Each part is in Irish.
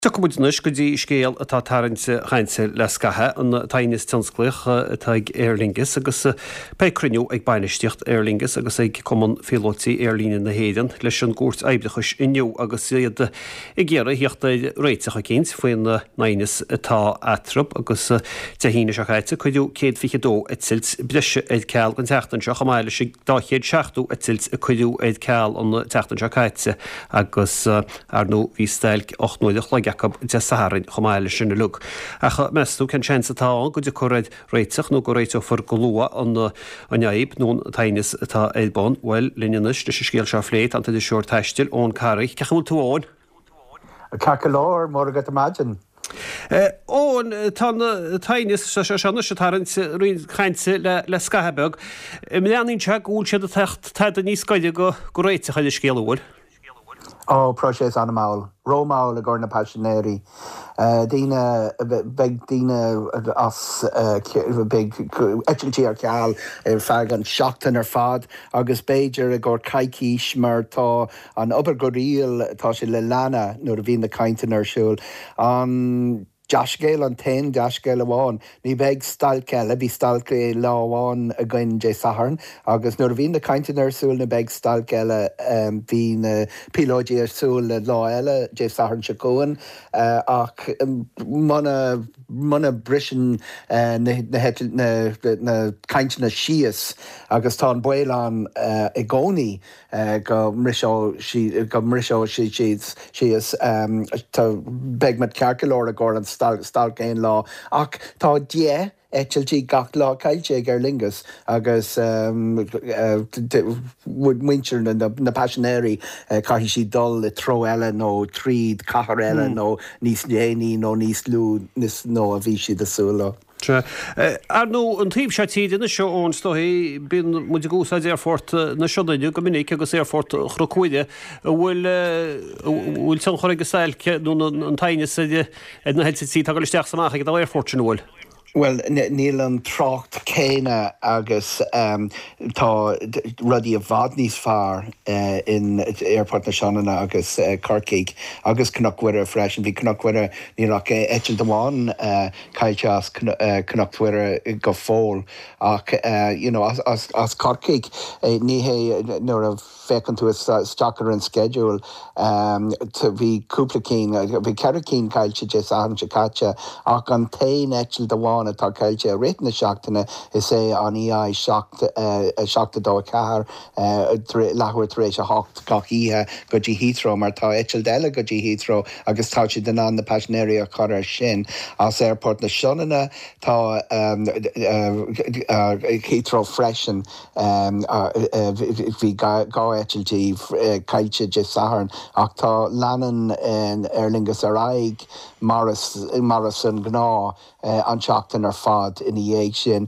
Tiocfaidh muid anois go dtí scéal atá ag tarraingt cainte le scaitheamh, an t-aighneas tionsclaíoch atá ag Aer Lingus agus beidh cruinniú ag bainistíocht Aer Lingus agus ag Cumann Phíolótaí Aerlíne na hÉireann leis an gCúirt Oibreachais inniu agus iad ag iarraidh theacht ar réiteach eicínt faoin aighneas atá eatarthu agus Dé hAoine seo caite cuireadh 122 eitilt breise ar ceal don tseachtain seo chomh maith leis an 270 eitilt a cuireadh ar ceal an tseachtain seo caite agus Ar ndóigh bhí stailc 8 n-uaire a chloig acu Dé Sathairn chomh maith leis sin uilig. Ach meas tú cén seans atá ann go dtiocfar ar réiteach nó go réiteofar go luath an fhadhb nó an t-aighneas atá ar bun? Bhuel, linn anois leis an scéal seo a phlé tá an t-iriseoir taistil, Eoin Carey. Cén chaoi a bhfuil tú, a Eoin? Ceart go leor, Mora dhuit ar maidin. Eoin, tá an t-aighneas seo anois ag tarraingt roinnt cainte le scaitheamh beag. An mbreathnaíonn sé go bhfuil siad ag teacht tada níos gaire go réiteach ar an scéal, an bhfuil? Ó, próiseas an-mhall, ró-mhall i gcomhair na paisinéirí. Daoine, beidh daoine as, beidh eitiltí ar ceal ar feadh an seachtain ar fad agus b'fhéidir i gcomhair coicís mar tá an obair go riail, tá sé le leanadh nuair a bhíonn na cainteanna ar siúl. An. Dea-scéal an t-aon dea-scéal amháin, ní bheidh stailc eile, bhí stailc lá amháin againn Dé Sathairn agus nuair a bhíonn na cainteanna ar siúl ní bheidh stailc eile, bhí na píolóidí ar siúl le lá eile Dé Sathairn seo chugainn ach muna muna briseann na na cainteanna síos agus tá an baol ann i gcónaí go mbriseoidh go mbriseoidh siad síos. Tá, beidh muid ceart go leor i gcomhair an stailc aon lá ach tá 10 eitiltí gach lá caillte ag Aer Lingus agus muintir na paisinéirí caithfidh siad dul i treo eile nó tríd cathair eile nó níos déanaí nó níos lú ná a bhí siad ag súil leo. Sea. Ar ndóigh, an taobh seo tíre anois, a Eoin, is dóichí, bíonn muid ag úsáid Aerfort na Sionainne go minic agus Aerfort Chnoc Mhuire. An bhfuil, an bhfuil tionchar ag an stailc nó an t-aighneas ar na heitiltí atá ag dul isteach is amach ag an dá aerfort sin, an bhfuil? Bhuel, níl an trácht céanna agus tá rudaí i bhfad níos fearr in Aerfort na Sionainne agus Corcaigh agus Cnoc Mhuire freisin. Bhí Cnoc Mhuire, níl ach eitilt amháin caillte as Cnoc Mhuire go fóill ach you know as Corcaigh ní hé nuair a féachann tú isteach ar an sceideal bhí cúpla cinn, bhí ceithre cinn caillte Dé Sathairn seo caite ach an t-aon eitilt amháin atá caillte i rith na seachtaine is é an EI 7 7 2 4 leathuair tar éis a hocht gach oíche go dtí Heathrow mar tá eitilt eile go dtí Heathrow agus tá siad in ann na paisinéirí a chur ar sin. As Aerfort na Sionainne tá Heathrow freisin. Bhí 2 eitilt caillte Dé Sathairn ach tá leanann Aer Lingus ar aghaidh mar is an gnáth. an tseachtain ar fad ina dhiaidh sin.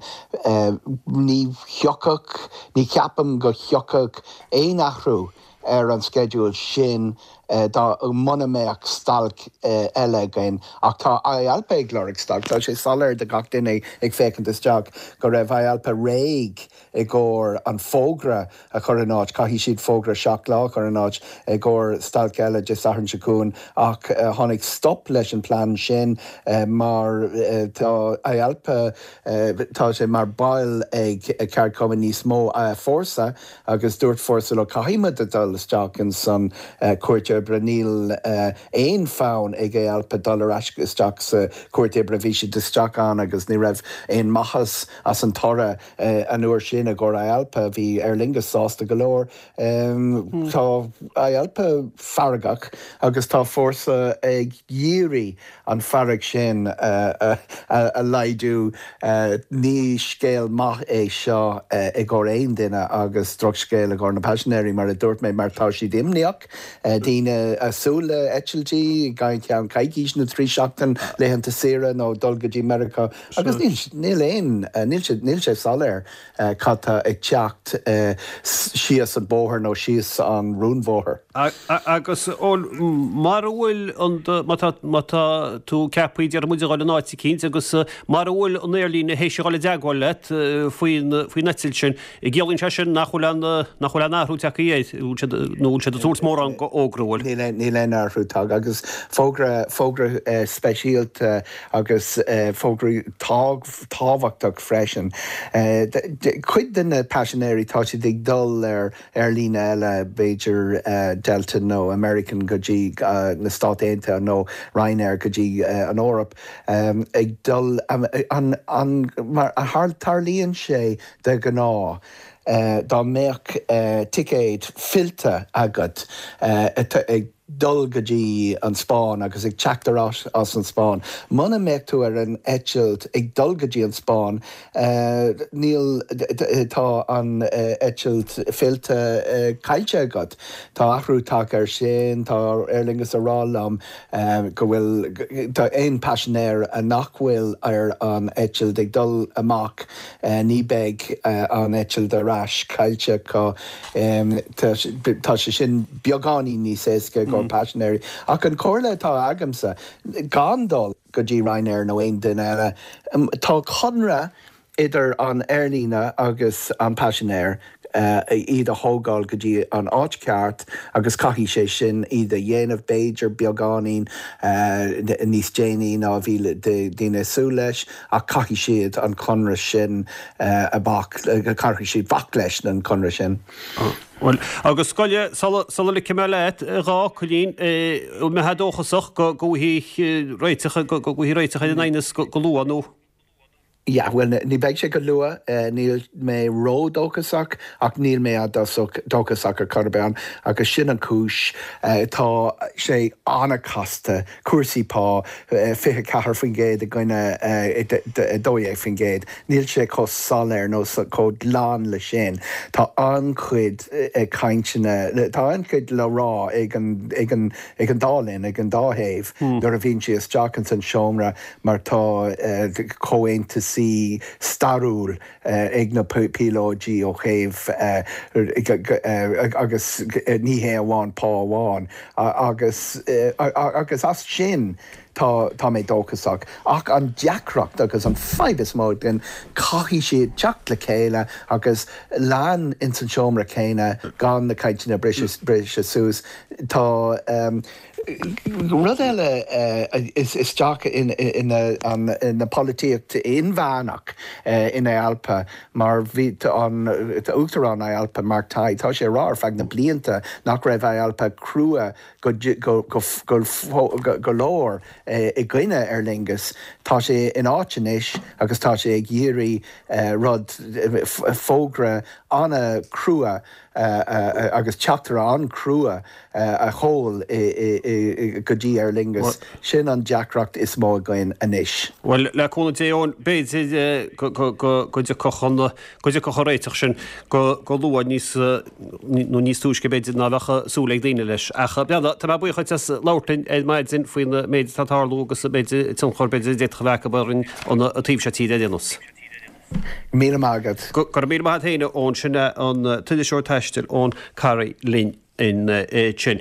Ní thiocfadh, ní cheapaim go thiocfadh aon athrú ar an sceideal sin dá muna mbeadh stailc eile againn. Ach tá IALPA ag lorg stailc. Tá sé soiléir do gach duine ag féachaint isteach go raibh IALPA réidh i gcomhair an fógra a chur in áit. Caithfidh siad fógra 7 lá a chur in áit i gcomhair stailc eile Dé Sathairn seo chugainn ach tháinig stop leis an plean sin mar tá IALPA, tá sé mar baill ag ceardchumann níos mó, Fórsa, agus dúirt Fórsa leo caithfidh muid a dul isteach in san Chúirt Oibre, níl aon fonn ag IALPA dul ar ais isteach sa Chúirt Oibre, bhí siad isteach ann agus ní raibh aon maitheas as an toradh. An uair sin i gcomhair IALPA, bhí Aer Lingus sásta go leor. Tá IALPA feargach agus tá Fórsa ag iarraidh an fearg sin a laghdú. Ní scéal maith é seo i gcomhair aon duine agus drochscéal i gcomhair na paisinéirí, mar a dúirt mé, mar tá siad imníoch. Daoine ag súil le eitiltí i gceann coicís nó 3 seachtain, laethanta saoire nó dul go dtí Meiriceá. Agus níl aon, níl sé, níl sé soiléir cad tá ag teacht síos an bóthar nó síos an rúnbhóthar. Agus, bhuel, mara bhfuil an, má tá, má tá tú ceaptha, déarfaidh muid, a dhul in áit eicínt agus mara bhfuil an aerlíne théis a dhul i dteagmháil leat faoin, faoin eitilt sin, an gciallaíonn sé sin nach bhfuil aon, nach bhfuil aon athrú tagtha air, nó bhfuil siad ag tabhairt mórán fógra, an bhfuil? bhfuil? Níl aon athrú tagtha agus fógra, fógra speisialta agus fógra tábhachtach freisin. Cuid de na paisinéirí tá siad ag dul ar aerlíne eile, b'fhéidir Delta nó American go dtí na Stáit Aontaithe nó Ryanair go dtí an Eoraip, ag dul an, an, mar a tarlaíonn sé de ghnáth. Dá mbeadh ticéad fillte agat ag dul go dtí an Spáinn agus ag teacht ar ais as an Spáinn, muna mbeadh tú ar an eitilt ag dul go dtí an Spáinn, níl, tá an eitilt fillte caillte agat. Tá athrú tagtha air sin, tá Aer Lingus a rá liom go bhfuil, tá aon paisinéir nach bhfuil ar an eitilt ag dul amach, Ní beidh an eitilt ar ais caillte acu. Tá sé sin beagáinín níos éasca i gcomhair paisinéirí. Ach an chomhairle atá agamsa, gan dul go dtí Ryanair nó aon duine eile. Tá conradh idir an aerlíne agus an paisinéir. iad a thógáil go dtí an áit cheart agus caithfidh sé sin iad a dhéanamh b'fhéidir beagáinín níos déanaí ná a bhí daoine ag súil leis ach caithfidh siad an conradh sin a bhac, caithfidh siad bac leis an conradh sin. Bhuel, agus scoile, sula ligfidh mé leat, a dhá Coilín, an mbeifeá dóchasach go bhfaighidh réiteach, go bhfaighidh réiteach ar an aighneas go luath nó? Yeah, bhuel, ní bheidh sé go luath. Níl mé ródhóchasach, ach níl mé éadóchasach ar chor ar bith agus sin an chúis. Tá sé an-chasta, cúrsaí pá, 24% i gcoinne 12%. Níl sé chomh soiléir nó chomh glan le sin. Tá an-chuid cainteanna, tá an-chuid le rá ag an, ag an, ag an dá linn, ag an dá thaobh nuair a bhíonn siad isteach ins an seomra mar tá comhaontaisí stairiúil ag na píolóidí ó thaobh agus ní hé amháin pá amháin agus agus as sin tá tá mé dóchasach. Ach an deacracht agus an fadhb is mó againn caithfidh siad teacht le chéile agus lean ins an seomra céanna gan na cainteanna briseadh suas. Tá rud eile isteach ina polaitíocht inmheánach in IALPA mar bhí an tUachtarán IALPA, Mark Tighe, tá sé ag rá ar feadh na blianta nach raibh IALPA crua go leor i gcoinne Aer Lingus. Tá sé in áit anois agus tá sé ag iarraidh rud, fógra an-chrua agus teachtaireacht an-chrua a sheol go dtí Aer Lingus. Sin an deacracht is mó againn anois. Bhuel, le cúnamh Dé, Eoin, b'fhéidir go dtiocfadh an, go dtiocfadh an réiteach sin go luath níos, nó níos túisce b'fhéidir ná bheadh súil ag daoine leis. Ach, breathnaigh, tá mé buíoch duit as labhairt linn ar maidin faoin méid atá ag tarlú agus an méid tionchar b'fhéidir a d'fhéadfadh a bheith acu orainn an taobh seo tíre ar aon nós. Míle maith agat. Go raibh míle maith agat féin, Eoin. Sin é an t-iriseoir taistil Eoin Carey linn ansin.